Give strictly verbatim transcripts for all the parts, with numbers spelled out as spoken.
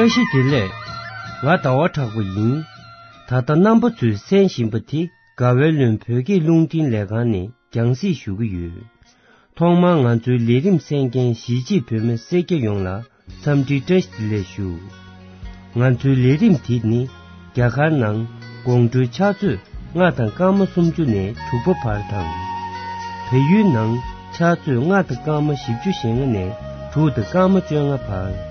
བཀྲ་ཤིས་བདེ་ལེགས། ང་ཟླ་བ་གྲགས་པ་ཡིན། ད་ལྟ་རྣམ་པ་ཚོས་གསན་བཞིན་པ་དེ་དགའ་བའི་ལུང་བོད་སྐད་རླུང་འཕྲིན་ལས་ཁང་ནས་རྒྱང་སྲིང་ཞུ་གི་ཡོད། ཐོག་མར་ང་ཚོའི་ལས་རིམ་གསན་མཁན་གཞིས་བྱེས་བོད་མི་སེར་སྐྱ་ཡོངས་ལ་འཚམས་འདྲི་བཀྲ་ཤིས་བདེ་ལེགས་ཞུ། ང་ཚོའི་ལས་རིམ་དེ་ནི་རྒྱ་གར་ནང་དགོང་དྲོའི་ཕྱག་ཚོད་ལྔ་དང་སྐར་མ་སུམ་ཅུ་ནས་དྲུག་པ་བར་དང་། བལ་ཡུལ་ནང་ཕྱག་ཚོད་ལྔ་དང་སྐར་མ་བཞི་བཅུ་ཞེ་ལྔ་ནས་དྲུག་དང་སྐར་མ་བཅོ་ལྔ་བར།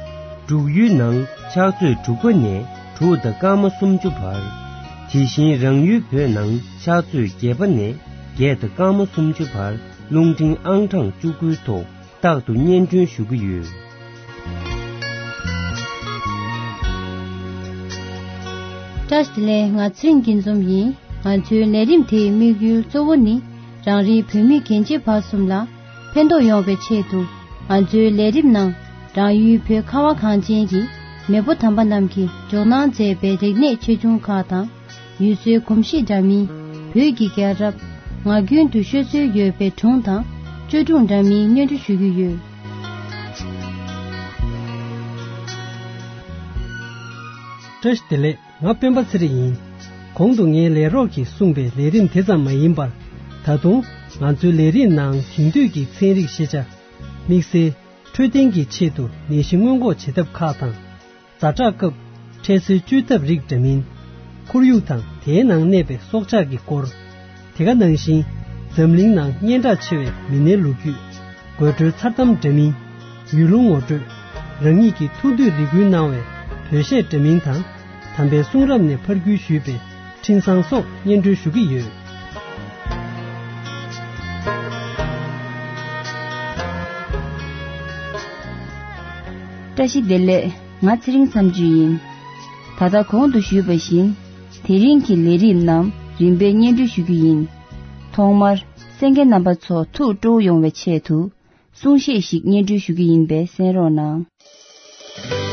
འབྲུག་ཡུལ་ནང་ཕྱག་ཚོད་དྲུག་པ་ནས་དྲུག་དང་སྐར་མ་སུམ་ཅུ་བར། དེ་བཞིན་རང་ཡུལ་བོད་ནང་ཕྱག་ཚོད་བརྒྱད་པ་ནས་བརྒྱད་དང་སྐར་མ་སུམ་ཅུ་བར་རླུང་འཕྲིན་ཨང་གྲངས་བཅུ་དགུའི་ཐོག་རྟག་ཏུ་སྙན་སྒྲོན་ཞུ་གི་ཡོད། བཀྲ་ཤིས་བདེ་ལེགས། ང་ཚེ་རིང་སྐྱིད་འཛོམས་ཡིན། ང་ཚོའི་ལས་རིམ་དེའི་དམིགས་ཡུལ་གཙོ་བོ་ནི་རང་རེའི་བོད་མི་རྒན་བྱིས་བར་གསུམ་ལ་ཕན་ཐོགས་ཡོང་བའི་ཆེད་དུ། ང་ཚོའི་ལས་རིམ་ནང་རང་ཡུལ་བོད་ཁ་བ་གངས་ཅན་གྱི་མེས་པོ་དམ་པ་རྣམས་ཀྱིས་འཇོག་གནང་མཛད་པའི་རིག་གནས་ཆེ་ཆུང་ཁག་དང་། ཡུལ་སྲོལ་གོམས་གཤིས་འདྲ་མིན། བོད་ཀྱི་རྒྱལ་རབས། ངག་རྒྱུན་དུ་ཤོད་སྲོལ་ཡོད་པའི་སྒྲུང་དང་བཅོས་སྒྲུང་འདྲ་མིན་སྙན་སྒྲོན་ཞུ་རྒྱུ་ཡོད། བཀྲ་ཤིས་བདེ་ལེགས། ང་སྤེན་པ་ཚེ་རིང་ཡིན། གོང་དུ་ངའི་ལས་རོགས་ཀྱིས་གསུངས་པའི་ལས་རིམ་དེ་ཙམ་མ་ཡིན་པར། ད་དུང་ང་ཚོའི་ལས་རིམ་ནང་དེང་དུས་ཀྱི་ཚན་རིག་ཤེས་བྱ། དམིགས་བསལ་འཕྲོད་བསྟེན་གྱི་ཆེད་དུ་ནད་གཞི་སྔོན་འགོག་བྱེད་ཐབས་ཁག་དང་། ཛ་དྲག་སྐབས་འཕྲལ་སེལ་བཅོས་ཐབས་རིགས་འདྲ་མིན། ཁོར་ཡུག་དང་དེའི་ནང་གནས་པའི་སྲོག་ཆགས་ཀྱི་སྐོར། དེ་ག་ནང་བཞིན་འཛམ་གླིང་ནང་སྙན་གྲགས་ཆེ་བའི་མི་སྣའི་ལོ་རྒྱུས། དགོད་བྲོའི་མཚར་གཏམ་འདྲ་མིན། ཡུལ་ལུང་ངོ་སྤྲོད། རང་ཉིད་ཀྱི་ཐུགས་འདོད་རེ་སྐུལ་གནང་བའི་བོད་གཞས་འདྲ་མིན་དང་། དམ་པའི་གསུང་རབ་ནས་ཕར་བརྒྱུད་ཞུས་པའི་འཕྲིན་བཟང་སོགས་སྙན་སྒྲོན་ཞུ་གི་ཡོད། བཀྲ་ཤིས་བདེ་ལེགས། ང་ཚེ་རིང་མཚམས་གཅོད་ཡིན། ད་ལྟ་གོང་དུ་ཞུས་པ་བཞིན། དེ་རིང་གི་ལས་རིམ་རྣམས་རིམ་པས་སྙན་སྒྲོན་ཞུ་རྒྱུ་ཡིན། ཐོག་མར་གསན་མཁན་རྣམ་པ་ཚོ་ཐུགས་སྤྲོ་བོ་ཡོང་བའི་ཆེད་དུ། གསུང་བཤད་ཞིག་སྙན་སྒྲོན་ཞུ་རྒྱུ་ཡིན་པས་གསན་རོགས་གནང་།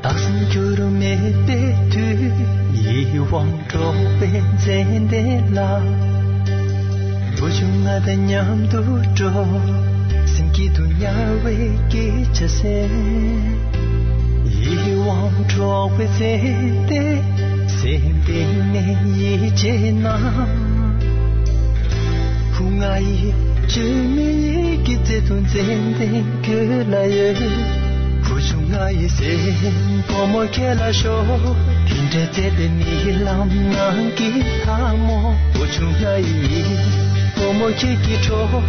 བདག་སེམས་འགྱུར་མེད་པའི་མཐུས། ཡིད་དབང་འཕྲོག་པའི་མཚན་ལྡན་ལ། བུ་ཆུང་ང་དང་མཉམ་དུ་འགྲོ། སེམས་སྐྱིད་དུ་ཉལ་བའི་སྐད་ཆ་གསན། ཡིད་དབང་འཕྲོག་པའི་མཚན་ལྡན། སེམས་གཏིང་ནས་ཡིད་ཆེས་ན། བུ་ང་ཡི་བཅོས་མིན་ཡིད་ཀྱི་བརྩེ་དུང་མཚན་ལྡན་ཁྱོད་ལ་ཡོད། བུ་ཆུང་ང་ཡི་སེམས་ཕོ་མོ་ཁྱེད་ལ་ཤོག་དེ་འདྲའི་བརྩེ་ལྡན་ནི་ལམ་ནང་གི་ལྷ་མོ། བུ་ཆུང་ང་ཡི་བུ་མོ་ཁྱེད་ཀྱི་གྲོགས།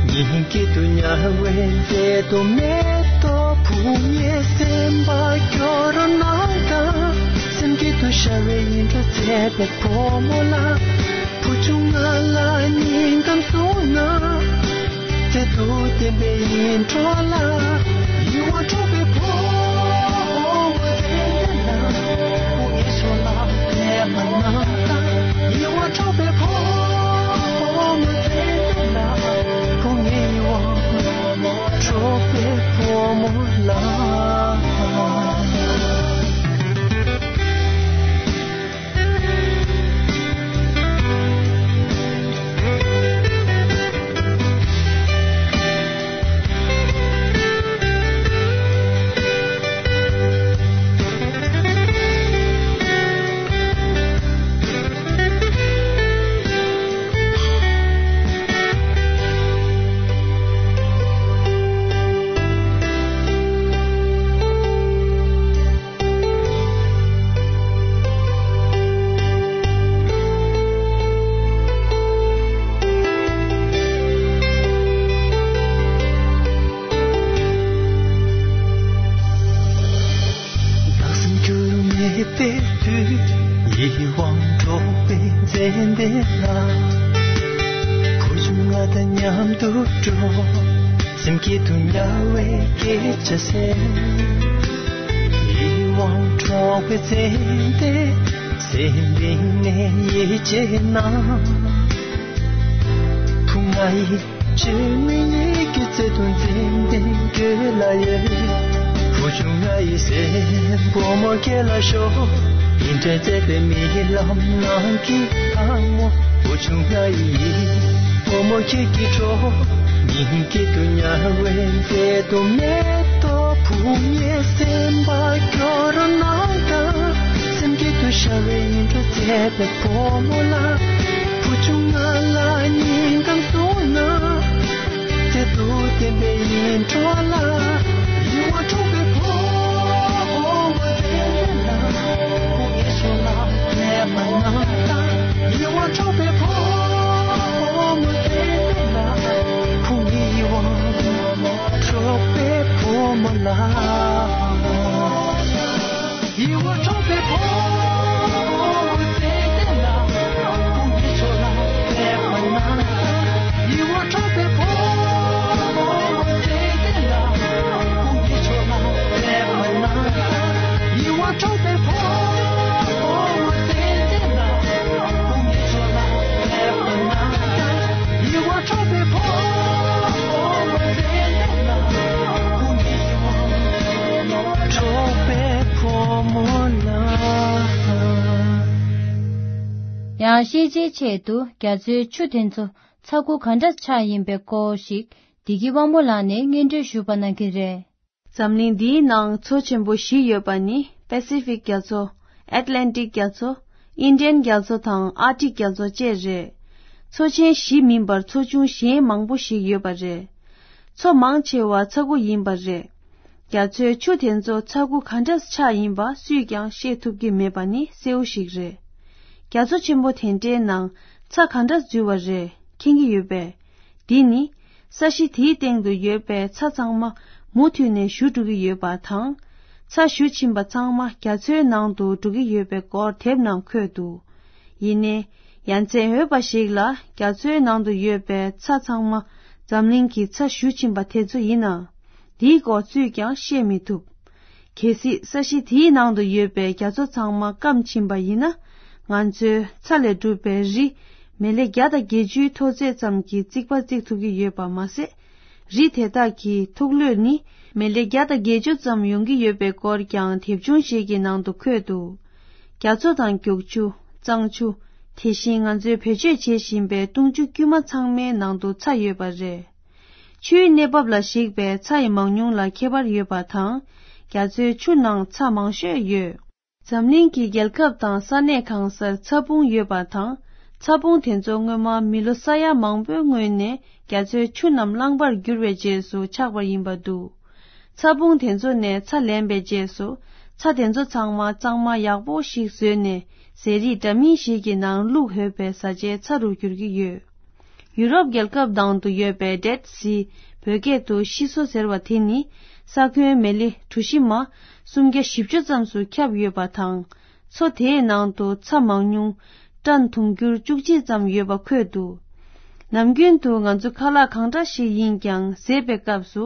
སྙིང་སྐྱིད་དུ་ཉལ་བའི་མཛེས་སྡུག་མེ་ཏོག་བུ་ངའི་སེམས་པ་སྐྱོ་རུ་གནང་དང་། སེམས་སྐྱིད་དུ་ཤར་བའི་ཡིད་འཕྲོག་མཛེས་པའི་བུ་མོ་ལ། བུ་ཆུང་ང་ལ་སྙིང་གཏམ་གསུངས་ན། བརྩེ་དུང་ལྡན་པའི་ཡིད་འཕྲོག་ལ། ཡིད་དབང་འཕྲོག་པའི་བུ་མོ་མཚན་ལྡན་ལ། བུ་ངའི་ཕྱོགས་ལ་ཕེབས་པ་ན། ཡིད་དབང་འཕྲོག་པའི་བུ་མོ་མཚན་ལྡན་ལ། བུ་ངའི་ཡིད་དབང་འཕྲོག་པའི་བུ་མོ་ལ། ཙན་དན་ལ། བུ་ཆུང་ང་དང་མཉམ་དུ་འགྲོ། སེམས་སྐྱིད་དུ་ཉལ་བའི་སྐད་ཆ་ཟེར། ཡིད་དབང་འཕྲོག་པའི་ཙན་དན། སེམས་གཏིང་ནས་ཡིད་ཆེས་ན། བུ་ང་ཡི་ཆེས་མི་ཡི་གི་བརྩེ་དུང་ཙན་དན་ཁྱོད་ལ་ཡོད། བུ་ཆུང་ང་ཡི་སེམས་བུ་མོ་ཁྱེད་ལ་ཤོག་ཡིན་དྲན་བརྩེ་བའི་རྨི་ལམ་ནང་གི་ལྷ་མོ། བུ་ཆུང་ང་ཡི་ཡིད་བུ་མོ་ཁྱེད་ཀྱི་གྲོགས། ཉིན་དཀྱིལ་དུ་ཉལ་བའི་མཛེས་སྡུག་མེ་ཏོག་བུ་ངའི་སེམས་པ་སྐྱོ་རུ་གནང་དང་། སེམས་སྐྱིད་དུ་ཤར་བའི་ཡིད་འཕྲོག་བརྩེ་བའི་བུ་མོ་ལ། བུ་ཆུང་ང་ལ་སྙིང་གཏམ་གསུངས་ན། བརྩེ་དུང་ལྡན་པའི་ཡིད་འཕྲོག་ལ། ཡིད་དབང་འཕྲོག་པའི་བུ་མོ་ཙན་དན་ལ། ཁོང་གི་ཕྱོགས་ལ་སླེབས་པ་ན། ཡིད་དབང་འཕྲོག་པའི་བུ་མོ་ཙན་དན་ལ། ཁོང་གི་ཡིད་དབང་འཕྲོག་པའི་བུ་མོ་ལ། ཡིད་དབང་འཕྲོག་པའི་བུ་མོ་ཙན་དན་ལ། ཁོང་གི་ཕྱོགས་ལ་སླེབས་པ་ན། ཡིད་དབང་འཕྲོག་པའི་བུ་མོ་ཙན་དན་ལ། ཁོང་གི་ཕྱོགས་ལ་སླེབས་པ་ན། ཡིད་དབང་འཕྲོག་པའི་བུ་མོ་ཙན་དན་ལ། ཁོང་གི་ཕྱོགས་ལ་སླེབས་པ་ན། ཡིད་དབང་འཕྲོག་པའི་བུ་མོ་ཙན་དན་ལ། ཁོང་གི་ཡིད་དབང་འཕྲོག་པའི་བུ་མོ་ལ། ཡང་ཤེས་བྱའི་ཆེད་དུ་རྒྱ་མཚོའི་ཆུ་དེ་ཚོ་ཚ་ཁུ་ག་འདྲ་ཆགས་ཡིན་པའི་སྐོར་ཞིག་བདེ་སྐྱིད་དབང་མོ་ལགས་ནས་སྙན་སྒྲོན་ཞུས་པ་གནང་གི་རེད། འཛམ་གླིང་འདིའི་ནང་མཚོ་ཆེན་པོ་བཞི་ཡོད་པ་ནི་པེ་སི་ཕིག་རྒྱ་མཚོ། ཨེཊ་ལན་ཊིག་རྒྱ་མཚོ། ཨིན་ཌི་ཡན་རྒྱ་མཚོ་དང་ཨར་ཀ་ཊིག་རྒྱ་མཚོ་བཅས་རེད། མཚོ་ཆེན་བཞི་མིན་པར་མཚོ་ཆུང་གཞན་མང་པོ་ཞིག་ཡོད་པ་རེད། མཚོ་མང་ཆེ་བ་ཚ་ཁུ་ཡིན་པ་རེད། རྒྱ་མཚོའི་ཆུ་དེ་ཚོ་ཚ་ཁུ་ག་འདྲ་ཆགས་ཡིན་པ་སུས་ཀྱང་ཤེས་ཐུབ་ཀྱི་མེད་པ་ནི་གསལ་བོ་ཞིག་རེད། རྒྱ་མཚོ་ཆེན་པོ་དེ་འདྲའི་ནང་ཚ་ག་འདྲ་འཛུལ་བ་རེད་མཁྱེན་གྱི་ཡོད་པས། འདི་ནི་ས་གཞི་དེའི་སྟེང་དུ་ཡོད་པའི་ཚ་ཚང་མ་མུ་མཐུད་ནས་བཞུ་འགྲོ་གི་ཡོད་པ་དང་། ཚ་བཞུ་ཕྱིན་པ་ཚང་མ་རྒྱ་མཚོའི་ནང་དུ་འགྲོ་གི་ཡོད་པའི་སྐོར་དེབ་ནང་འཁོད་འདུག་ཡིན་ནའི་ཡ་མཚན་འོས་པ་ཞིག་ལ་རྒྱ་མཚོའི་ནང་དུ་ཡོད་པའི་ཚ་ཚང་མ་འཛམ་གླིང་གི་ཚ་བཞུ་ཕྱིན་པ་དེ་ཚོ་ཡིན་ན། འདིའི་སྐོར་སུས་ཀྱང་ཤེས་མི་ཐུབ། གལ་སྲིད་ས་གཞི་དེའི་ནང་དུ་ཡོད་པའི་རྒྱ་མཚོ་ཚང་མ་སྐམ་ཕྱིན་པ་ཡིན་ན། ང་ཚོའི་ཚ་ལས་གྲུབ་པའི་རི་མི་ལེ་བརྒྱ་དང་བརྒྱད་ཅུའི་མཐོ་ཚད་ཙམ་གྱི་རྩིག་པ་རྩིག་ཐུབ་ཀྱི་ཡོད་པ་མ་ཟད། རི་དེ་དག་གི་མཐོ་རློས་ནི་མི་ལེ་བརྒྱ་དང་བརྒྱད་ཅུ་ཙམ་ཡོང་གི་ཡོད་པའི་སྐོར་ཀྱང་དེབ་ཆུང་ཞིག་གི་ནང་དུ་འཁོད་འདུག་རྒྱ་མཚོ་དང་རྒྱུག་ཆུ། གཙང་ཆུ། དེ་བཞིན་ང་ཚོས་བེད་སྤྱོད་བྱེད་བཞིན་པའི་བཏུང་ཆུ་དཀྱུས་མ་ཚང་མའི་ནང་དུ་ཚྭ་ཡོད་པ་རེད། ཆུའི་གནས་བབ་ལ་གཞིགས་པའི་ཚྭ་ཡི་མང་ཉུང་ལ་ཁྱད་པར་ཡོད་པ་དང་། རྒྱ་མཚོའི་ཆུ་ནང་ཚྭ་མང་ཤོས་ཡོད། འཛམ་གླིང་གི་རྒྱལ་ཁབ་དང་ས་གནས་གང་སར་ཚྭ་སྤུང་ཡོད་པ་དང་། ཚྭ་སྤུང་དེ་ཚོ་སྔོན་མ་མི་ལོ་ས་ཡ་མང་པོའི་སྔོན་ནས་རྒྱ་མཚོའི་ཆུ་རྣམས་རླངས་པར་གྱུར་བའི་རྗེས་སུ་ཆགས་པ་ཡིན་པ་འདུག་ཚྭ་སྤུང་དེ་ཚོ་ནས་ཚྭ་ལེན་པའི་རྗེས་སུ། ཚྭ་དེ་ཚོ་ཚང་མ་གཙང་མ་ཡག་པོ་ཞིག་བཟོས་ནས་ཟས་རིགས་འདྲ་མིན་ཞིག་གི་ནང་བླུགས་འོས་པའི་བཟའ་བཅའི་ཚྭ་རུ་འགྱུར་གྱི་ཡོད། ཡུ་རོབ་རྒྱལ་ཁབ་ནང་དུ་ཡོད་པའི་ཌེཌ་སི། བོད་སྐད་དུ་ཤི་སོ་ཟེར་བ་དེ་ནི། ས་ཁོན་མི་ལི་གྲུ་བཞི་མ་སུམ་བརྒྱ་བཞི་བཅུ་ཙམ་སུ་ཁྱབ་ཡོད་པ་དང་། མཚོ་དེའི་ནང་དུ་ཚྭ་མང་ཉུང་ཊོན་དུང་ཕྱུར་བཅུ་གཅིག་ཙམ་ཡོད་པ་འཁོད་འདུག་ནམ་རྒྱུན་དུ་ང་ཚོ་ཁ་ལག་གང་འདྲ་ཞིག་ཡིན་ཀྱང་བཟས་པའི་སྐབས་སུ་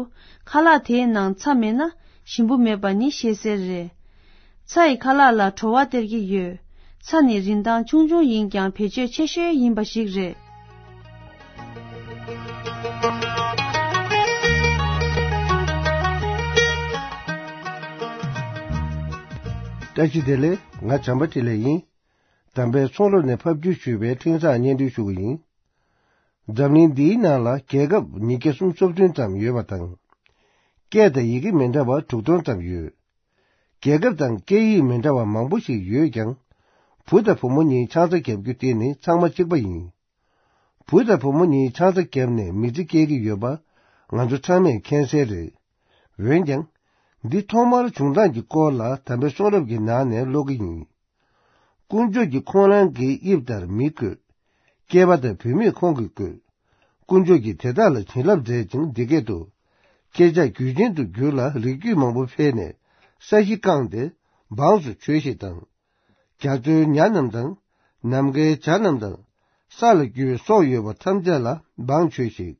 ཁ་ལག་དེའི་ནང་ཚྭ་མེད་ན་ཞིམ་པོ་མེད་པ་ནི་ཤེས་གསལ་རེད། ཚྭ་ཡིས་ཁ་ལག་ལ་བྲོ་བ་སྟེར་གྱི་ཡོད། ཚྭ་ནི་རིན་ཐང་ཆུང་ཆུང་ཡིན་ཀྱང་བེད་སྤྱོད་ཆེ་ཤོས་ཡིན་པ་ཞིག་རེད། བཀྲ་ཤིས་བདེ་ལེགས། ང་བྱམས་པ་འཕྲིན་ལས་ཡིན། དམ་པའི་ཚོགས་རབ་ནས་ཕབ་བསྒྱུར་ཞུས་པའི་འཕྲིན་བཟང་སྙན་སྒྲོན་ཞུ་གི་ཡིན། འཛམ་གླིང་འདིའི་ནང་ལ་རྒྱལ་ཁབ་ཉིས་བརྒྱ་སུམ་ཅུ་སོ་བདུན་ཙམ་ཡོད་པ་དང་། སྐད་དང་ཡི་གེ་མི་འདྲ་བ་དྲུག་སྟོང་ཙམ་ཡོད། རྒྱལ་ཁབ་དང་སྐད་ཡིག་མི་འདྲ་བ་མང་པོ་ཞིག་ཡོད་ཀྱང་། བུ་དང་བུ་མོ་གཉིས་ཆང་ས་བརྒྱབ་རྒྱུ་དེ་ནི་ཚང་མ་གཅིག་པ་ཡིན། བུ་དང་བུ་མོ་གཉིས་ཆང་ས་བརྒྱབ་ནས་མི་ཚེ་སྐྱེལ་གྱི་ཡོད་པ་ང་ཚོ་ཚང་མས་མཁྱེན་གསལ་རེད། འོན་ཀྱང་། འདི་ཐོག་མར་བྱུང་སྟངས་ཀྱི་སྐོར་ལ་དམ་པའི་གསུང་རབ་ཀྱི་ནང་ནས་ཀློག་གི་ཡིན། དཀོན་མཆོག་གིས་ཁོང་རང་གི་དབྱིབས་ལྟར་མི་བཀོད། སྐྱེས་པ་དང་བུད་མེད་ཁོང་གིས་བཀོད། དཀོན་མཆོག་གིས་དེ་དག་ལ་བྱིན་རླབས་མཛད་ཅིང་འདི་སྐད་དུ། ཁྱེད་ཅག་རྒྱུད་ཅན་དུ་འགྱུར་ལ་རིགས་རྒྱུད་མང་པོ་འཕེལ་ནས་ས་གཞི་བཀང་སྟེ་འབངས་སུ་བྱོས་ཤིག་དང་། རྒྱ་མཚོའི་ཉ་རྣམས་དང་། ནམ་མཁའི་བྱ་རྣམས་དང་། ས་ལ་རྒྱུ་བའི་སྲོག་ཡོད་པ་ཐམས་ཅད་ལ་དབང་བྱོས་ཤིག།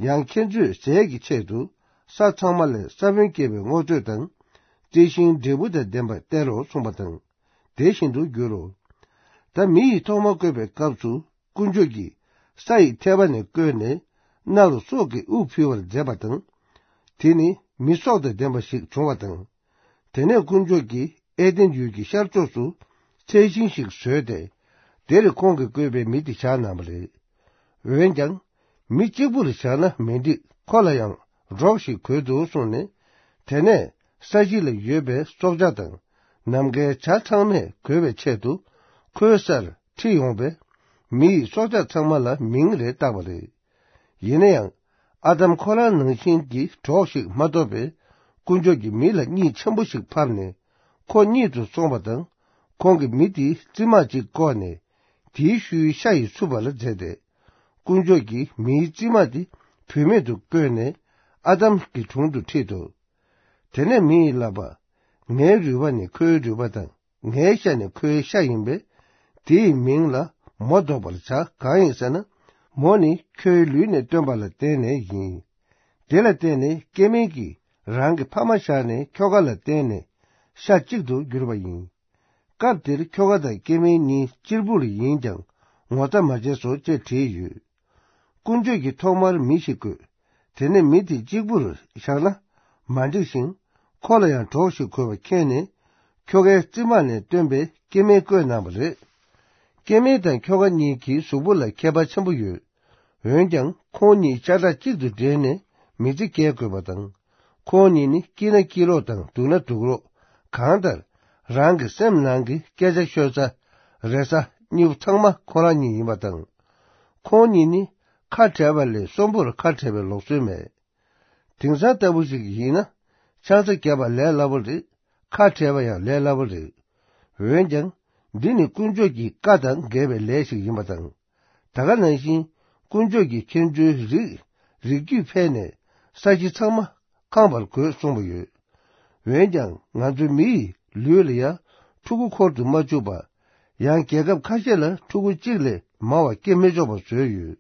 ཡང་ཁྱེད་ཚོས་ཟས་ཀྱི་ཆེད་དུ་ས་ཚང་མ་ལས་ས་བོན་སྐྱེ་བའི་སྔོ་ཚོད་དང་། རྩི་ཤིང་འབྲས་བུ་དང་ལྡན་པ་སྟེར་རོ་གསུངས་པ་དང་། དེ་བཞིན་དུ་འགྱུར་རོ། ད་མི་ཡིས་ཐོག་མ་བཀོད་པའི་སྐབས་སུ་དཀོན་མཆོག་གིས་ས་ཡི་ཐལ་བ་ནས་བཀོད་ནས་སྣ་རུ་སྲོག་གི་དབུགས་ཕུལ་བར་མཛད་པ་དང་། དེ་ནི་མི་སྲོག་དང་ལྡན་པ་ཞིག་བྱུང་བ་དང་། དེ་ནས་དཀོན་མཆོག་གིས་ཨེ་དེན་ཡུལ་གྱི་ཤར་ཕྱོགས་སུ་ཚལ་ཤིང་ཞིག་བཟོས་ཏེ། དེར་ཁོང་གིས་བཀོད་པའི་མི་དེ་བཞག་གནང་བ་རེད། འོན་ཀྱང་། མི་གཅིག་པུར་བཞག་ན་མི་འགྲིག། ཁོ་ལ་ཡང་སྒྲོག་ཞིག་དགོས་འདུག་གསུངས་ནས། དེ་ནས་ས་གཞི་ལ་ཡོད་པའི་སྲོག་ཆགས་དང་། ནམ་མཁའི་བྱ་ཚང་མས་གོས་པའི་ཆེད་དུ་ཁོའི་སར་ཁྲིད་ཡོང་བས། མི་ཡིས་སྲོག་ཆགས་ཚང་མ་ལ་མིང་རེ་བཏགས་པ་རེད། ཡིན་ན་ཡང་། ཨ་དམ་ཁོ་རང་ནང་བཞིན་གྱི་གྲོགས་ཤིག་མ་ཐོབ་པས། དཀོན་མཆོག་གིས་མི་ལ་གཉིད་ཆེན་པོ་ཞིག་ཕབ་ནས། ཁོ་གཉིད་དུ་སོང་བ་དང་། ཁོང་གིས་མི་དེའི་རྩིབ་མ་གཅིག་བཀོག་ནས། དེའི་ཤུལ་ཤ་ཡིས་འཚུབ་པ་ལ་མཛད་དེ། དཀོན་མཆོག་གིས་མིའི་རྩིབ་མ་དེ་བུད་མེད་དུ་བཀོད་ནས། ཨ་དམ་གྱི་དྲུང་དུ་ཁྲིད་དོ། དེ་ནས་མི་ཡིས་ལབ་པ། ངའི་རུས་པ་ནི་ཁོའི་རུས་པ་དང་། ངའི་ཤ་ནི་ཁོའི་ཤ་ཡིན་པས། དེའི་མིང་ལ་མོ་འདོགས་པར་བྱ། གང་ཡིན་ཟེར་ན། མོ་ནི་ཁྱོའི་ལུས་ནས་བཏོན་པ་ལ་བརྟེན་ནས་ཡིན། དེ་ལ་བརྟེན་ནས་སྐྱེ་དམན་གྱིས་རང་གི་ཕ་མ་བཞག་ནས་ཁྱོ་ག་ལ་བརྟེན་ནས་ཤ་གཅིག་ཏུ་གྱུར་པ་ཡིན། སྐབས་དེར་ཁྱོ་ག་དང་སྐྱེ་དམན་གཉིས་གཅེར་བུར་ཡིན་ཀྱང་ངོ་ཚ་མ་བྱས་སོ་ཅེས་བྲིས་ཡོད། དཀོན་མཆོག་གིས་ཐོག་མར་མི་ཞིག་བཀོད། དེ་ནས་མི་དེ་གཅིག་པུར་བཞག་ན་མ་འགྲིག་ཞིང་། ཁོ་ལ་ཡང་གྲོགས་ཤིག་དགོས་པ་མཁྱེན་ནས། ཁྱོ་གའི་རྩིབ་མ་ནས་བཏོན་པའི་སྐྱེ་དམན་བཀོད་གནང་བ་རེད། སྐྱེ་དམན་དང་ཁྱོ་ག་གཉིས་ཀྱི་གཟུགས་པོ་ལ་ཁྱད་པར་ཆེན་པོ་ཡོད། འོན་ཀྱང་ཁོང་གཉིས་ཤ་ཁྲག་གཅིག་ཏུ་འདྲེས་ནས་མི་ཚེ་སྐྱེལ་དགོས་པ་དང་། ཁོང་གཉིས་ནི་སྐྱིད་ན་སྐྱིད་ལོག་དང་སྡུག་ན་སྡུག་ལོག་གང་ལྟར། རང་གི་སེམས་ནང་གི་སྐད་ཆ་ཤོད་ས། རེ་ས། གཉིས་པོ་ཚང་མ་ཁོ་རང་གཉིས་ཡིན་པ་དང་། ཁོང་གཉིས་ནི་ཁ་བྲལ་བ་ལས་གསོན་པོར་ཁ་བྲལ་བའི་ལུགས་སྲོལ་མེད། དེང་སང་ལྟ་བུ་ཞིག་ཡིན་ན། ཆང་ས་བརྒྱབ་པ་ལས་སླ་པོ་རེད། ཁ་བྲལ་བ་ཡང་ལས་སླ་པོ་རེད། འོན་ཀྱང་། འདི་ནི་དཀོན་མཆོག་གི་བཀའ་དང་འགལ་བའི་ལས་ཤིག་ཡིན་པ་དང་། ད་ག་ནང་བཞིན། དཀོན་མཆོག་གིས་ཁྱེད་ཚོའི་རིགས། རིགས་རྒྱུད་འཕེལ་ནས། ས་གཞི་ཚང་མ་ཁེངས་པར་དགོས་གསུངས་པ་ཡོད། འོན་ཀྱང་ང་ཚོ་མི་ཡི་ལུས་ལ་ཡང་ཕྲུ་གུ་འཁོར་དུ་མ་བཅུག་པ། ཡང་རྒྱལ་ཁབ་ཁ་ཤས་ལ་ཕྲུ་གུ་གཅིག་ལས་མང་བ་སྐྱེ་མི་ཆོག་པ་བཟོས་ཡོད།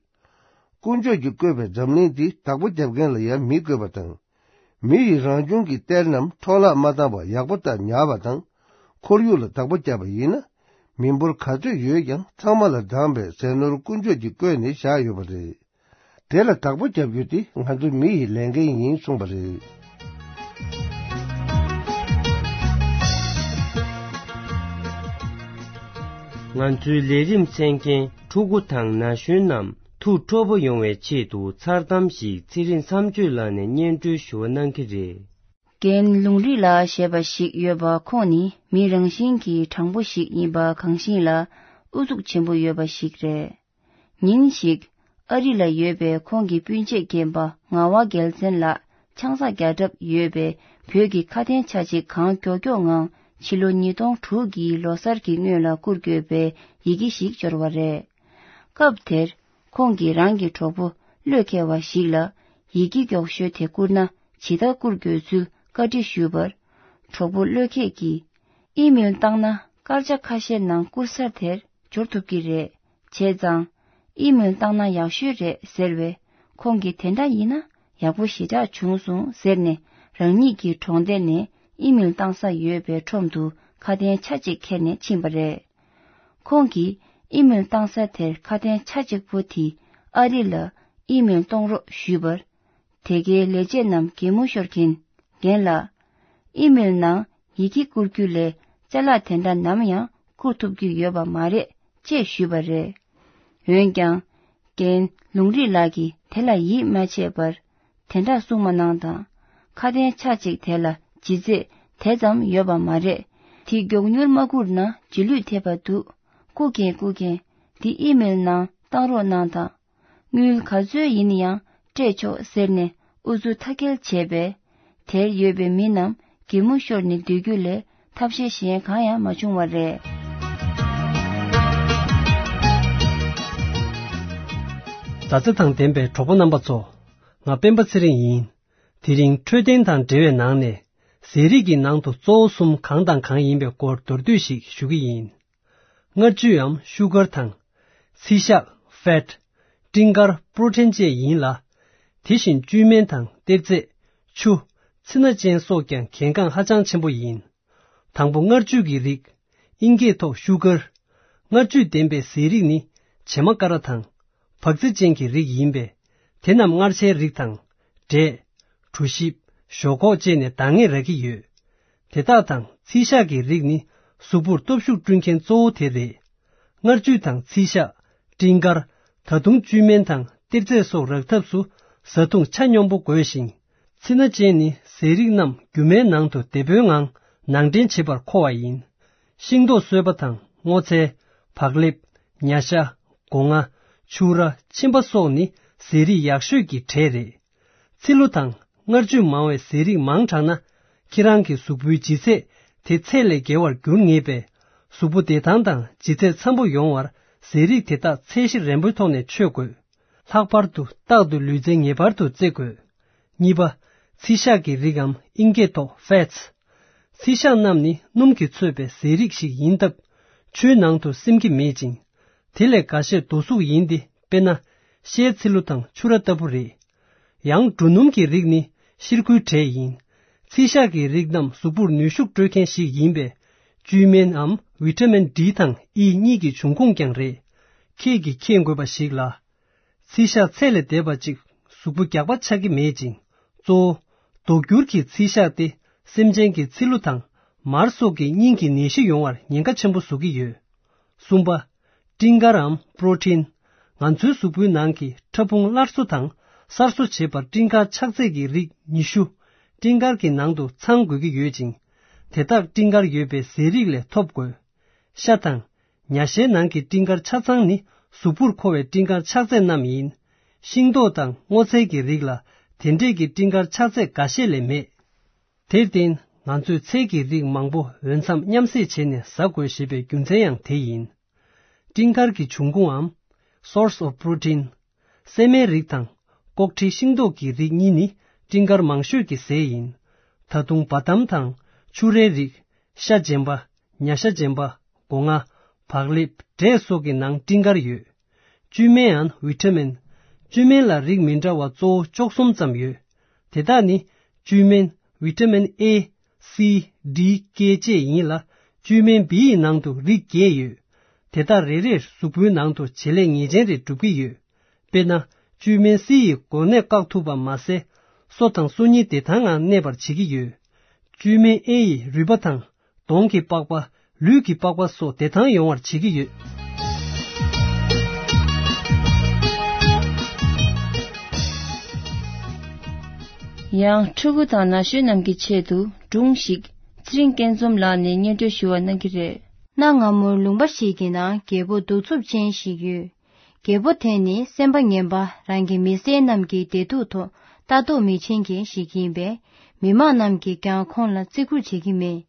དཀོན་མཆོག་གིས་བཀོད་པའི་འཛམ་གླིང་འདི་བདག་པོ་རྒྱབ་མཁན་ལ་ཡང་མི་དགོས་པ་དང་། མི་ཡིས་རང་བྱུང་གི་གཏེར་རྣམས་འཕྲོ་བརླག་མ་བཏང་བར་ཡག་པོ་ལྟར་ཉར་བ་དང་། ཁོར་ཡུག་ལ་བདག་པོ་བརྒྱབ་པ་ཡིན་ན། མི་འབོར་ག་ཚོད་ཡོད་ཀྱང་ཚང་མ་ལ་འདང་བའི་ཟས་ནོར་དཀོན་མཆོག་གིས་བཀོད་ནས་བཞག་ཡོད་པ་རེད། དེ་ལ་བདག་པོ་རྒྱབ་རྒྱུ་དེ་ང་ཚོ་མི་ཡི་ལས་འགན་ཡིན་གསུངས་པ་རེད། ང་ཚོའི་ལས་རིམ་གསན་མཁན་ཕྲུ་གུ་དང་ན་གཞོན་རྣམས་ཐུགས་སྤྲོ་པོ་ཡོང་བའི་ཆེད་དུ་མཚར་གཏམ་ཞིག་ཚེ་རིང་མཚམས་གཅོད་ལགས་ནས་སྙན་སྒྲོན་ཞུ་བ་གནང་གི་རེད། རྒན་ལུང་རིགས་ལགས་ཞེས་པ་ཞིག་ཡོད་པ། ཁོང་ནི་མི་རང་བཞིན་གྱིས་དྲང་པོ་ཞིག་ཡིན་པ་གང་ཤེས་ལ་ཨུ་ཚུགས་ཆེན་པོ་ཡོད་པ་ཞིག་རེད། ཉིན་ཞིག་ཨ་རི་ལ་ཡོད་པའི་ཁོང་གི་སྤུན་མཆེད་རྒན་པ་ངག་དབང་རྒྱལ་མཚན་ལགས་ཆང་ས་རྒྱག་གྲབས་ཡོད་པའི་བོད་ཀྱི་ཁ་དན་ཆ་གཅིག་གང་མགྱོགས་མགྱོགས་ངང་ཕྱི་ལོ་ཉིས་སྟོང་དྲུག་གི་ལོ་གསར་གྱི་སྔོན་ལ་བསྐུར་དགོས་པའི་ཡི་གེ་ཞིག་འབྱོར་བ་རེད། སྐབས་དེར་ཁོང་གིས་རང་གི་གྲོགས་པོ་བློས་འཁེལ་བ་ཞིག་ལ་ཡི་གེ་མགྱོགས་ཤོས་དེ་བསྐུར་ན་ཇི་ལྟར་བསྐུར་དགོས་ཚུལ་བཀའ་འདྲི་ཞུས་པར། གྲོགས་པོ་བློས་འཁེལ་གྱིས། ཨི་མེལ་བཏང་ན་སྐར་ཆ་ཁ་ཤས་ནང་བསྐུར་ས་དེར་འབྱོར་ཐུབ་ཀྱི་རེད། བྱས་ཙང་། ཨི་མེལ་བཏང་ན་ཡག་ཤོས་རེད་ཟེར་བས། ཁོང་གིས་དེ་འདྲ་ཡིན་ན་ཡག་པོ་ཞེ་དྲག་བྱུང་སོང་ཟེར་ནས་རང་ཉིད་ཀྱི་གྲོང་སྡེ་ནས་ཨི་མེལ་བཏང་ས་ཡོད་པའི་ཁྲོམ་དུ་ཁ་དན་ཆ་གཅིག་ཁྱེར་ནས་ཕྱིན་པ་རེད། ཁོང་གིས་ཨི་མེལ་བཏང་ས་དེར་ཁ་དན་ཆ་གཅིག་པོ་དེ་ཨ་རི་ལ་ཨི་མེལ་གཏོང་རོགས་ཞུས་པར། དེ་གའི་ལས་བྱེད་རྣམས་གད་མོ་ཤོར་གྱིན། རྒན་ལགས། ཨི་མེལ་ནང་ཡི་གེ་བསྐུར་རྒྱུ་ལས་ཅ་ལག་དེ་འདྲ་ནམ་ཡང་བསྐུར་ཐུབ་རྒྱུ་ཡོད་པ་མ་རེད་ཅེས་ཞུས་པ་རེད། འོན་ཀྱང་། རྒན་ལུང་རིགས་ལགས་ཀྱིས་དེ་ལ་ཡིད་མ་ཆེས་པར། དེ་འདྲ་གསུངས་མ་གནང་དང་། ཁ་དན་ཆ་གཅིག་དེ་ལ་ལྗིད་ཚད་དེ་ཙམ་ཡོད་པ་མ་རེད། དེ་མགྱོགས་མྱུར་མ་བསྐུར་ན་རྗེས་ལུས་ཐེབས་པ་འདུག། བསྐུར་མཁན་བསྐུར་མཁན་དེ་ཨི་མེལ་ནང་བཏང་རོགས་གནང་དང་། དངུལ་ག་ཚོད་ཡིན་ཡང་སྤྲད་ཆོག་ཟེར་ནས་ཨུ་ཚུགས་མཐའ་སྐྱེལ་བྱས་པས། དེར་ཡོད་པའི་མི་རྣམས་གད་མོ་ཤོར་ནས་སྡོད་རྒྱུ་ལས་ཐབས་ཤེས་གཞན་གང་ཡང་མ་བྱུང་བ་རེད། མཛའ་བརྩེ་དང་ལྡན་པའི་གྲོགས་པོ་རྣམ་པ་ཚོ། ང་སྤེན་པ་ཚེ་རིང་ཡིན། དེ་རིང་འཕྲོད་བསྟེན་དང་འབྲེལ་བའི་ནང་ནས། ཟས་རིགས་ཀྱི་ནང་དུ་གཙོ་བོ་གསུམ་གང་དང་གང་ཡིན་པའི་སྐོར་མདོར་བསྡུས་ཤིག་ཞུ་གི་ཡིན། མངར་བཅུད་འམ་ཤུ་གར་དང་། ཚིལ་ཤ་ཕེཊ། སྤྲིན་དཀར་པྲོ་ཊིན་བཅས་ཡིན་ལ། དེ་བཞིན་བཅུད་སྨན་དང་གཏེར་རྫས། ཆུ། ཚི་སྣ་ཅན་སོགས་ཀྱང་གལ་འགངས་ཧ་ཅང་ཆེན་པོ་ཡིན། དང་པོ་མངར་བཅུད་ཀྱི་རིགས། ཨིན་སྐད་ཐོག་ཤུ་གར། མངར་བཅུད་ལྡན་པའི་ཟས་རིགས་ནི་བྱེ་མ་ཀ་ར་དང་། བག་ཚི་ཅན་གྱི་རིགས་ཡིན་པས། དེ་རྣམས་མངར་ཆའི་རིགས་དང་། འབྲས། གྲོ་ཞིབ། ཞོག་ཁོག་བཅས་ནས་འདང་ངེས་རག་གི་ཡོད། དེ་དག་དང་ཚིལ་ཤ་གི་རིགས་ནི་གཟུགས་པོར་སྟོབས་ཤུགས་བསྐྲུན་མཁན་གཙོ་བོ་དེ་རེད། མངར་བཅུད་དང་ཚིལ་ཤ། སྤྲིན་དཀར། ད་དུང་བཅུད་སྨན་དང་གཏེར་རྫས་སོགས་རག་ཐབས་སུ་བཟའ་བཏུང་ཆ་སྙོམས་པོ་དགོས་ཤིང་། ཚི་སྣ་ཅན་ནི་ཟས་རིགས་རྣམས་རྒྱུ་མའི་ནང་དུ་དེད་པོའི་ངང་ནང་འདྲེན་བྱེད་པར་མཁོ་བ་ཡིན། ཤིང་ཏོག་སོས་པ་དང་སྔོ་ཚལ། བག་ལེབ། ཉ་ཤ། སྒོ་ང་། ཕྱུར་ར། མཆིན་པ་སོགས་ནི་ཟས་རིགས་ཡག་ཤོས་ཀྱི་གྲས་རེད། ཚི་ལུ་དང་མངར་བཅུད་མང་བའི་ཟས་རིགས་མང་དྲགས་ན། ཁྱེད་རང་གི་གཟུགས་པོའི་ལྗིད་ཚད་དེ་ཚད་ལས་བརྒལ་བར་འགྱུར་ངེས་པས། གཟུགས་པོ་བདེ་ཐང་དང་ལྗིད་ཚད་འཚམ་པོ་ཡོང་བར་ཟས་རིགས་དེ་དག་ཚད་གཞི་རན་པོའི་ཐོག་ནས་མཆོད་དགོས། ལྷག་པར་དུ་རྟག་ཏུ་ལུས་རྩལ་ངེས་པར་དུ་རྩེ་དགོས། གཉིས་པ། ཚིལ་ཤ་གི་རིགས་འམ་ཨིན་སྐད་ཐོག་ཕེཊས། ཚིལ་ཤ་རྣམས་ནི་སྣུམ་གྱིས་ཚོས་པའི་ཟས་རིགས་ཤིག་ཡིན་སྟབས། ཆུའི་ནང་དུ་སིམ་གྱི་མེད་ཅིང་། དེ་ལས་འགའ་ཤས་རྡོ་གཟུགས་ཡིན་ཏེ། དཔེར་ན། ཤའི་ཚི་ལུ་དང་ཕྱུར་ར་ལྟ་བུ་རེད། ཡང་འབྲུ་སྣུམ་གྱི་རིགས་ནི་ཤིར་ཁུའི་གྲས་ཡིན། ཚིལ་ཤ་གི་རིགས་རྣམས་གཟུགས་པོར་ནུས་ཤུགས་སྤྲོད་མཁན་ཞིག་ཡིན་པས། བཅུད་སྨན་འམ་ཝི་ཊ་མིན་ཌི་དང་ཨི་གཉིས་ཀྱི་འབྱུང་ཁུངས་ཀྱང་རེད། ཁྱེད་ཀྱིས་མཁྱེན་དགོས་པ་ཞིག་ལ། ཚིལ་ཤ་ཚད་ལས་འདས་པ་ཅིག་གཟུགས་པོ་རྒྱགས་པ་ཆགས་ཀྱི་མེད་ཅིང་། གཙོ་བོ། མདོག་འགྱུར་གྱི་ཚིལ་ཤ་སྟེ་སེམས་ཅན་གྱི་ཚི་ལུ་དང་མར་སོགས་ཀྱི་སྙིང་གི་ནད་གཞི་ཡོང་བར་ཉེན་ཁ་ཆེན་པོ་བཟོ་གི་ཡོད། གསུམ་པ། སྤྲིན་དཀར་འམ་པྲོ་ཊིན། ང་ཚོའི་གཟུགས་པོའི་ནང་གི་ཕྲ་ཕུང་སླར་གསོ་དང་གསར་བཟོ་བྱེད་པར་སྤྲིན་དཀར་ཆགས་ཚད་ཀྱི་རིགས་ཉི་ཤུ། སྤྲིན་དཀར་གྱི་ནང་དུ་ཚང་དགོས་ཀྱི་ཡོད་ཅིང་། དེ་དག་སྤྲིན་དཀར་ཡོད་པའི་ཟས་རིགས་ལས་ཐོབ་དགོས། ཤ་དང་། ཉ་ཤའི་ནང་གི་སྤྲིན་དཀར་ཆ་ཚང་ནི་གཟུགས་པོར་མཁོ་བའི་སྤྲིན་དཀར་ཆགས་ཚད་རྣམས་ཡིན། ཤིང་ཏོག་དང་སྔོ་ཚལ་གྱི་རིགས་ལ་དེ་འདྲས་ཀྱི་སྤྲིན་དཀར་ཆགས་ཚད་འགའ་ཤས་ལས་མེད། དེར་བརྟེན། ང་ཚོས་ཚལ་གྱི་རིགས་མང་པོ་འོས་འཚམ་མཉམ་བསྲེས་བྱས་ནས་ཟ་དགོས་ཞེས་པའི་རྒྱུ་མཚན་ཡང་དེ་ཡིན། སྤྲིན་དཀར་གྱི་འབྱུང་ཁུངས་འམ། Source of Protein། སྲན་མའི་རིགས་དང་། ཀོག་ཁྲི་ཤིང་ཏོག་གི་རིགས་གཉིས་ནི་སྤྲིན་དཀར་མང་ཤོས་ཀྱི་ཟས་ཡིན། ད་དུང་བ་དམ་དང་ཕྱུར་རའི་རིགས། ཤ་རྗེན་པ། ཉ་ཤ་རྗེན་པ། སྒོ་ང་། བག་ལེབ། འབྲས་སོགས་ཀྱི་ནང་སྤྲིན་དཀར་ཡོད། བཅུད་སྨན་ཡང་ཝི་ཊ་མིན། བཅུད་སྨན་ལ་རིགས་མི་འདྲ་བ་གཙོ་བོ་བཅུ་གསུམ་ཙམ་ཡོད། དེ་དག་ནི། བཅུད་སྨན། ཝི་ཊ་མིན་ཨེ། སི། ཌི། ཀེ་བཅས་ཡིན་ལ། བཅུད་སྨན་བི་ཡི་ནང་དུ་རིགས་བརྒྱད་ཡོད། དེ་དག་རེ་རེར་གཟུགས་པོའི་ནང་དུ་བྱེད་ལས་ངེས་ཅན་རེ་སྒྲུབ་ཀྱི་ཡོད། དཔེར་ན། བཅུད་སྨན་སི་ཡིས་གོ་གནས་བཀག་ཐུབ་པ་མ་ཟད། སོ་དང་སོ་རྙིལ་བདེ་ཐང་ངང་གནས་པར་བྱེད་ཀྱི་ཡོད། བཅུད་སྨན་ཨེ་ཡིས་རུས་པ་དང་། གདོང་གི་པགས་པ། ལུས་ཀྱི་པགས་པ་སོགས་བདེ་ཐང་ཡོང་བར་བྱེད་ཀྱི་ཡོད། ཡང་ཕྲུ་གུ་དང་ན་གཞོན་རྣམས་ཀྱི་ཆེད་དུ་སྒྲུང་ཞིག་ཚེ་རིང་སྐྱིད་འཛོམས་ལགས་ནས་སྙན་སྒྲོན་ཞུ་བ་གནང་གི་རེད། གནའ་སྔ་མོར་ལུང་པ་ཞིག་གི་ནང་རྒད་པོ་གདུག་རྩུབ་ཅན་ཞིག་ཡོད། རྒད་པོ་དེ་ནི་སེམས་པ་ངན་པ་རང་གི་མི་སེར་རྣམས་ཀྱི་བདེ་སྡུག་ཐོག་ལྟ་རྟོག་མི་བྱེད་མཁན་ཞིག་ཡིན་པས། མི་མང་རྣམས་ཀྱིས་ཀྱང་ཁོང་ལ་བརྩི་བཀུར་བྱེད་ཀྱི་མེད།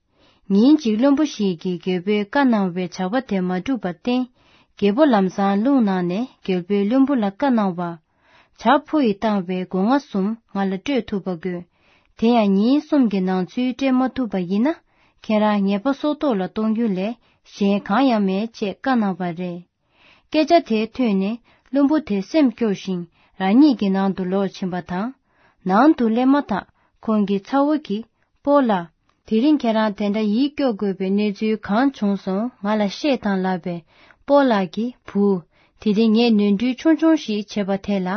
ཉིན་གཅིག་བློན་པོ་ཞིག་གིས་རྒད་པོས་བཀའ་གནང་བའི་ཇག་པ་དེ་མ་བསྒྲུབས་པར་བརྟེན། རྒད་པོ་ལམ་སང་རླུང་ནང་ནས་རྒད་པོས་བློན་པོ་ལ་བཀའ་གནང་བ། ཇག་ཕོ་ཡིས་བཏང་བའི་སྒོ་ང་གསུམ་ང་ལ་སྤྲོད་ཐུབ་པ་དགོས། དེ་ཡང་ཉིན་གསུམ་གྱི་ནང་ཚུད་སྤྲད་མ་ཐུབ་པ་ཡིན་ན། ཁྱེད་རང་ཉེས་པ་སྲོག་ཐོག་ལ་གཏོང་རྒྱུ་ལས་གཞན་གང་ཡང་མེད་ཅེས་བཀའ་གནང་བ་རེད། སྐད་ཆ་དེ་ཐོས་ནས་བློན་པོ་དེ་སེམས་སྐྱོ་ཞིང་རང་ཉིད་ཀྱི་ནང་དུ་ལོག་ཕྱིན་པ་དང་། ནང་དུ་སླེབས་མ་ཐག་ཁོང་གི་ཚ་བོ་གིས། སྤོ་ལགས། དེ་རིང་ཁྱེད་རང་དེ་འདྲ་ཡིད་སྐྱོ་དགོས་པའི་གནས་ཚུལ་གང་བྱུང་སོང་ང་ལ་བཤད་དང་ལབ་པས། སྤོ་ལགས་ཀྱིས། བུ། དེ་རིང་ངས་ནོར་འཁྲུལ་ཆུང་ཆུང་ཞིག་བྱས་པ་དེ་ལ།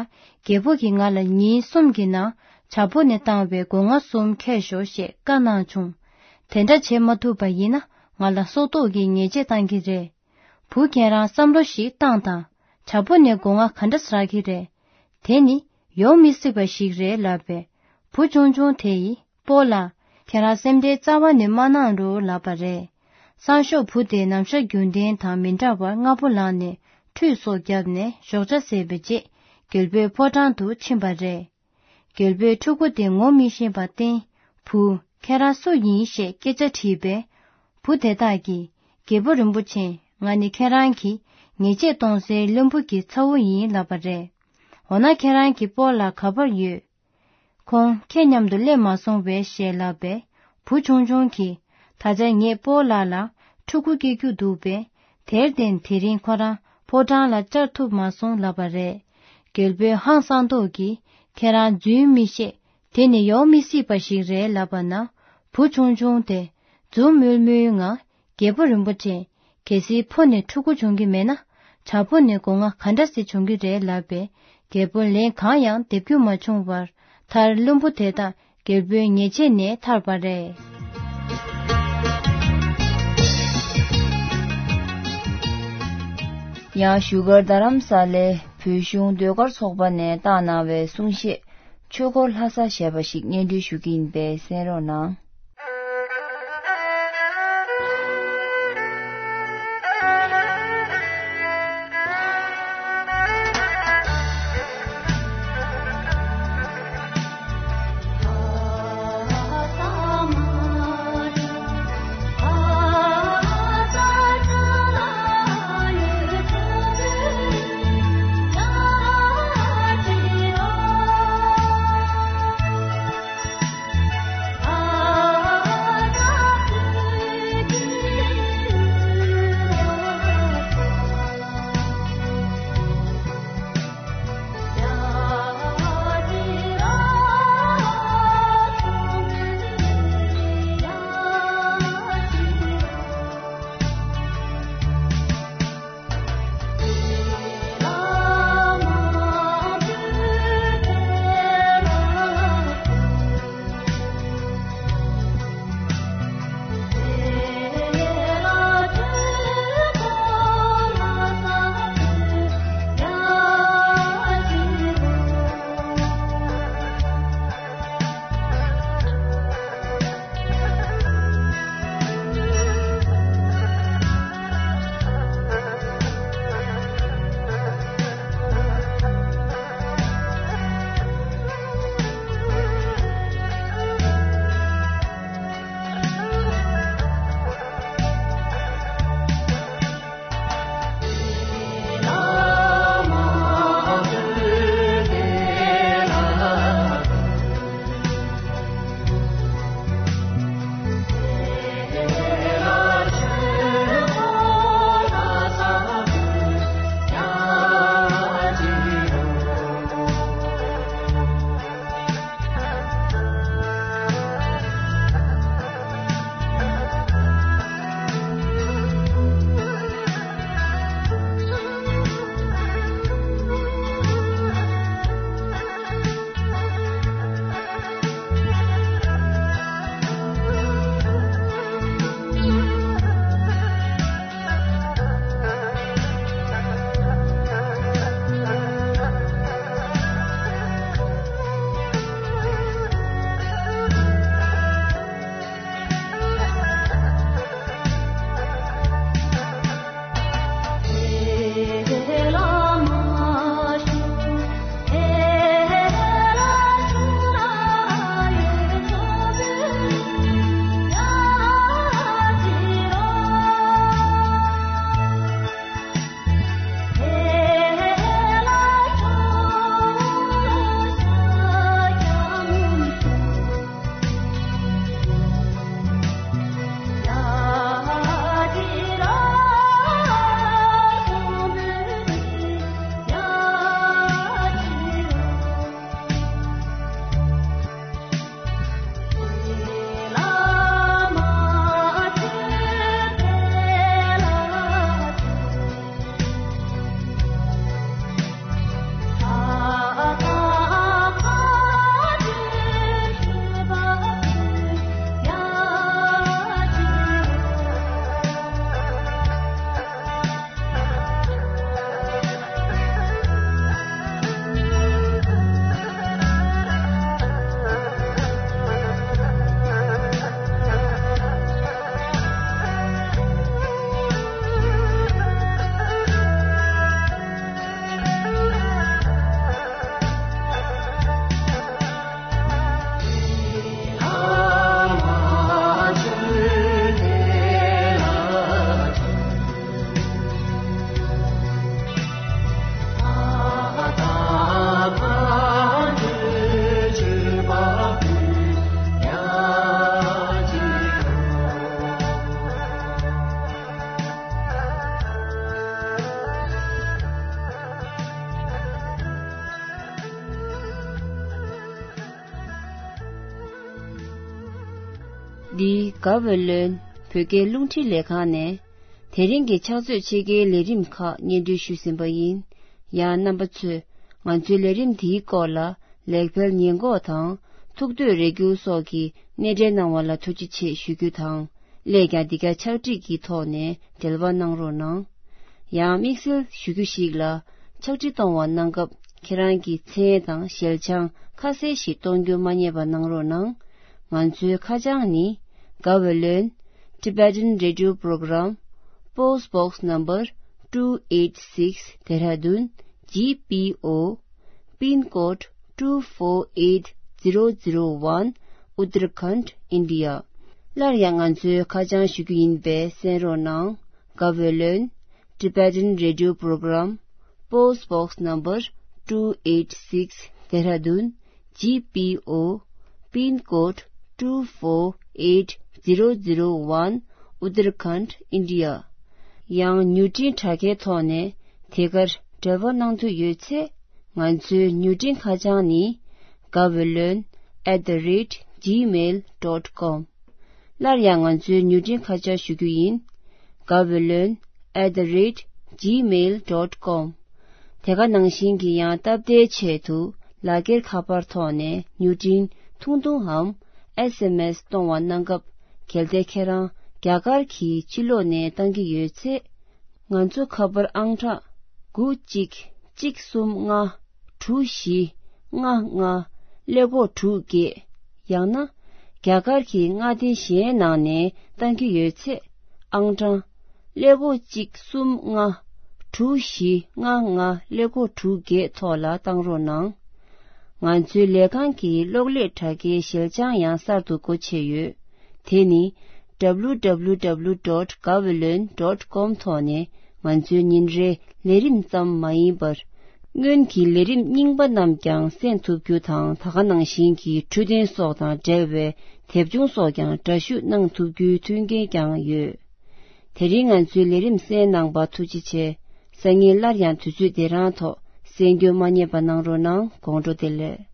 རྒད་པོ་གིས་ང་ལ་ཉིན་གསུམ་གྱི་ནང་ཇག་པོ་ནས་བཏང་བའི་སྒོ་ང་གསུམ་ཁྱེར་ཤོག་ཞེས་བཀའ་གནང་བྱུང་། དེ་འདྲ་བྱེད་མ་ཐུབ་པ་ཡིན་ན་ང་ལ་སྲོག་ཐོག་གི་ཉེས་ཆད་བཏང་གི་རེད། བུ་ཁྱེད་རང་བསམ་བློ་ཞིག་བཏང་དང་། ཇག་པོ་ནས་སྒོ་ང་ག་འདྲ་ཟ་གི་རེད། དེ་ནི་ཡོང་མི་སྲིད་པ་ཞིག་རེད་ལབ་པས། བུ་ཆུང་ཆུང་དེ་ཡིས་སྤོ་ལགས། ཁྱེད་རང་སེམས་ཁྲལ་རྩ་བ་ནས་མ་གནང་རོགས་ལབ་པ་རེད། སང་ཞོགས་བུ་དེ་ནམ་ཞག་རྒྱུན་ལྡན་དང་མི་འདྲ་བར་སྔ་པོ་ལངས་ནས་ཁྲུས་སོགས་བརྒྱབ་ནས་ཞོགས་ཇ་ཟས་པའི་རྗེས་རྒྱལ་པོའི་ཕོ་བྲང་དུ་ཕྱིན་པ་རེད། རྒྱལ་པོས་ཕྲུ་གུ་དེ་ངོ་མི་ཤེས་པར་བརྟེན། བུ། ཁྱེད་རང་སུ་ཡིན་ཞེས་སྐད་ཆ་དྲིས་པས། བུ་དེ་དག་གིས། རྒྱལ་པོ་རིན་པོ་ཆེ། ང་ནི་ཁྱེད་རང་གིས་ཉེས་ཆད་གཏོང་སའི་བློན་པོ་གི་ཚ་བོ་ཡིན་ལབ་པ་རེད། འོ་ན་ཁྱེད་རང་གི་སྤོ་ལགས་ག་པར་ཡོད། ཁོང་ཁྱེད་མཉམ་དུ་སླེབས་མ་སོང་བས་ཞེས་ལབ་པས། བུ་ཆུང་ཆུང་གིས། ད་ཆ་ངས་སྤོ་ལགས་ལ་ཕྲུ་གུ་སྐྱེ་རྒྱུ་འདུག་པས། དེར་བརྟེན་དེ་རིང་ཁོ་རང་ཕོ་བྲང་ལ་བཅར་ཐུབ་མ་སོང་ལབ་པ་རེད། རྒྱལ་པོས་ཧང་སངས་མདོག་གིས་ཁྱེད་རང་རྫུན་མི་བཤད། དེ་ནི་ཡོང་མི་སྲིད་པ་ཞིག་རེད་ལབ་པ་ན། བུ་ཆུང་ཆུང་དེ་འཛུམ་དམུལ་དམུལ་ངང་རྒྱལ་པོ་རིན་པོ་ཆེ། གལ་སྲིད་ཕོ་ནས་ཕྲུ་གུ་བྱུང་གི་མེད་ན། བྱ་ཕོ་ནས་སྒོ་ང་ག་འདྲ་སེ་བྱུང་གི་རེད་ལབ་པས། རྒྱལ་པོ་ལན་གང་ཡང་འདེབས་རྒྱུ་མ་བྱུང་བར། མཐར་བློན་པོ་དེ་དག་རྒྱལ་པོའི་ཉེས་ཆད་ནས་ཐར་པ་རེད། ཡང་བཞུགས་སྒར་རྡ་རམ་ས་ལའི་བོད་གཞུང་ཟློས་གར་ཚོགས་པ་ནས་བཏང་གནང་བའི་གསུང་བཤད། ཆོས་འཁོར་ལྷ་ས་ཞེས་པ་ཞིག་སྙན་སྒྲོན་ཞུ་གི་ཡིན་པས་གསན་རོགས་གནང་། འདི་ག་བོད་ལོན་བོད་སྐད་རླུང་འཕྲིན་ལས་ཁང་ནས་དེ་རིང་གི་ཕྱག་ཚོད་ཕྱེད་ཀའི་ལས་རིམ་ཁག་སྙན་སྒྲོན་ཞུས་ཟིན་པ་ཡིན། ཡང་རྣམ་པ་ཚོས་ང་ཚོའི་ལས་རིམ་འདིའི་སྐོར་ལ་ལེགས་སྤེལ་ཉེས་འགོག་དང་ཐུགས་འདོད་རེ་སྐུལ་སོགས་ཀྱི་སྣེ་འདྲེན་གནང་བ་ལ་ཐུགས་རྗེ་ཆེ་ཞུ་རྒྱུ་དང་། སླད་ཀྱང་འདི་ག་ཕྱག་བྲིས་ཀྱི་ཐོག་ནས་འབྲེལ་བ་གནང་རོགས་གནང་། ཡང་དམིགས་བསལ་ཞུ་རྒྱུ་ཞིག་ལ། ཕྱག་བྲིས་གཏོང་བ་གནང་སྐབས་ཁྱེད་རང་གི་མཚན་དང་ཞལ་བྱང་ཁ་གསལ་ཞིག་གཏོང་རྒྱུ་མ་བསྙེལ་བ་གནང་རོགས་གནང་། ང་ཚོའི་ཁ་བྱང་ནི། Gaweylon Tibetan Radio Program, Post Box Number two eight six, Dehradun G P O, Pin Code two four eight zero zero one, Uttarakhand, India. སླར་ཡང་ང་ཚོའི་ཁ་བྱང་ཞུ་རྒྱུ་ཡིན་པས་གསན་རོགས་གནང་། Gaweylon Tibetan Radio Program, Post Box Number two eight six, Dehradun G P O, Pin Code two four eight zero zero one, Uttarakhand, India. ཡང་མྱུར་འཕྲིན་དྲ་རྒྱའི་ཐོག་ནས་དེ་གར་འབྲེལ་བ་གནང་འདོད་ཡོད་ཚེ། ང་ཚོའི་མྱུར་འཕྲིན་ཁ་བྱང་ནི། Gaweylon at the rate gmail dot com. སླར་ཡང་ང་ཚོའི་མྱུར་འཕྲིན་ཁ་བྱང་ཞུ་རྒྱུ་ཡིན། Gaweylon at the rate gmail dot com. དེ་ག་ནང་བཞིན་གྱི་ཡང་སྟབས་བདེའི་ཆེད་དུ་ལག་འཁྱེར་ཁ་པར་ཐོག་ནས་མྱུར་འཕྲིན་ཐུང་ཐུང་འམ་S M S གཏོང་བ་གནང་སྐབས། གལ་ཏེ་ཁྱེད་རང་རྒྱ་གར་གྱི་ཕྱི་ལོགས་ནས་བཏང་གི་ཡོད་ཚེ། ང་ཚོ་ཁ་པར་ཨང་གྲངས་དགུ་གཅིག་གཅིག་གསུམ་ལྔ་དྲུག་བཞི་ལྔ་ལྔ་ཀླད་ཀོར་དྲུག་བརྒྱད། ཡང་ན་རྒྱ་གར་གྱི་མངའ་སྡེ་གཞན་ནང་ནས་བཏང་གི་ཡོད་ཚེ། ཨང་གྲངས་ཀླད་ཀོར་གཅིག་གསུམ་ལྔ་དྲུག་བཞི་ལྔ་ལྔ་ཀླད་ཀོར་དྲུག་བརྒྱད་ཐོག་ལ་བཏང་རོགས་གནང་། ང་ཚོའི་ལས་ཁང་གི་གློག་ཀླད་དྲ་རྒྱའི་ཞལ་བྱང་ཡང་གསར་དུ་སྒོ་ཕྱེ་ཡོད། དེ་ནི་W W W dot gaweylon dot com ཐོག་ནས་ང་ཚོའི་ཉིན་རེའི་ལས་རིམ་ཙམ་མ་ཡིན་པར། སྔོན་གྱི་ལས་རིམ་རྙིང་པ་རྣམས་ཀྱང་གསན་ཐུབ་རྒྱུ་དང་། ད་ག་ནང་བཞིན་གྱི་འཕྲོད་བསྟེན་སོགས་དང་འབྲེལ་བའི་དེབ་ཆུང་སོགས་ཀྱང་འདྲ་བཤུས་གནང་ཐུབ་རྒྱུའི་མཐུན་རྐྱེན་ཀྱང་ཡོད། དེ་རིང་ང་ཚོའི་ལས་རིམ་གསན་གནང་བར་ཐུགས་རྗེ་ཆེ། སང་ཉིན་སླར་ཡང་དུས་ཚོད་འདི་རང་ཐོག་གསན་རྒྱུ་མ་བསྙེལ་བ་གནང་རོགས་གནང་། དགོང་དྲོ་བདེ་ལེགས།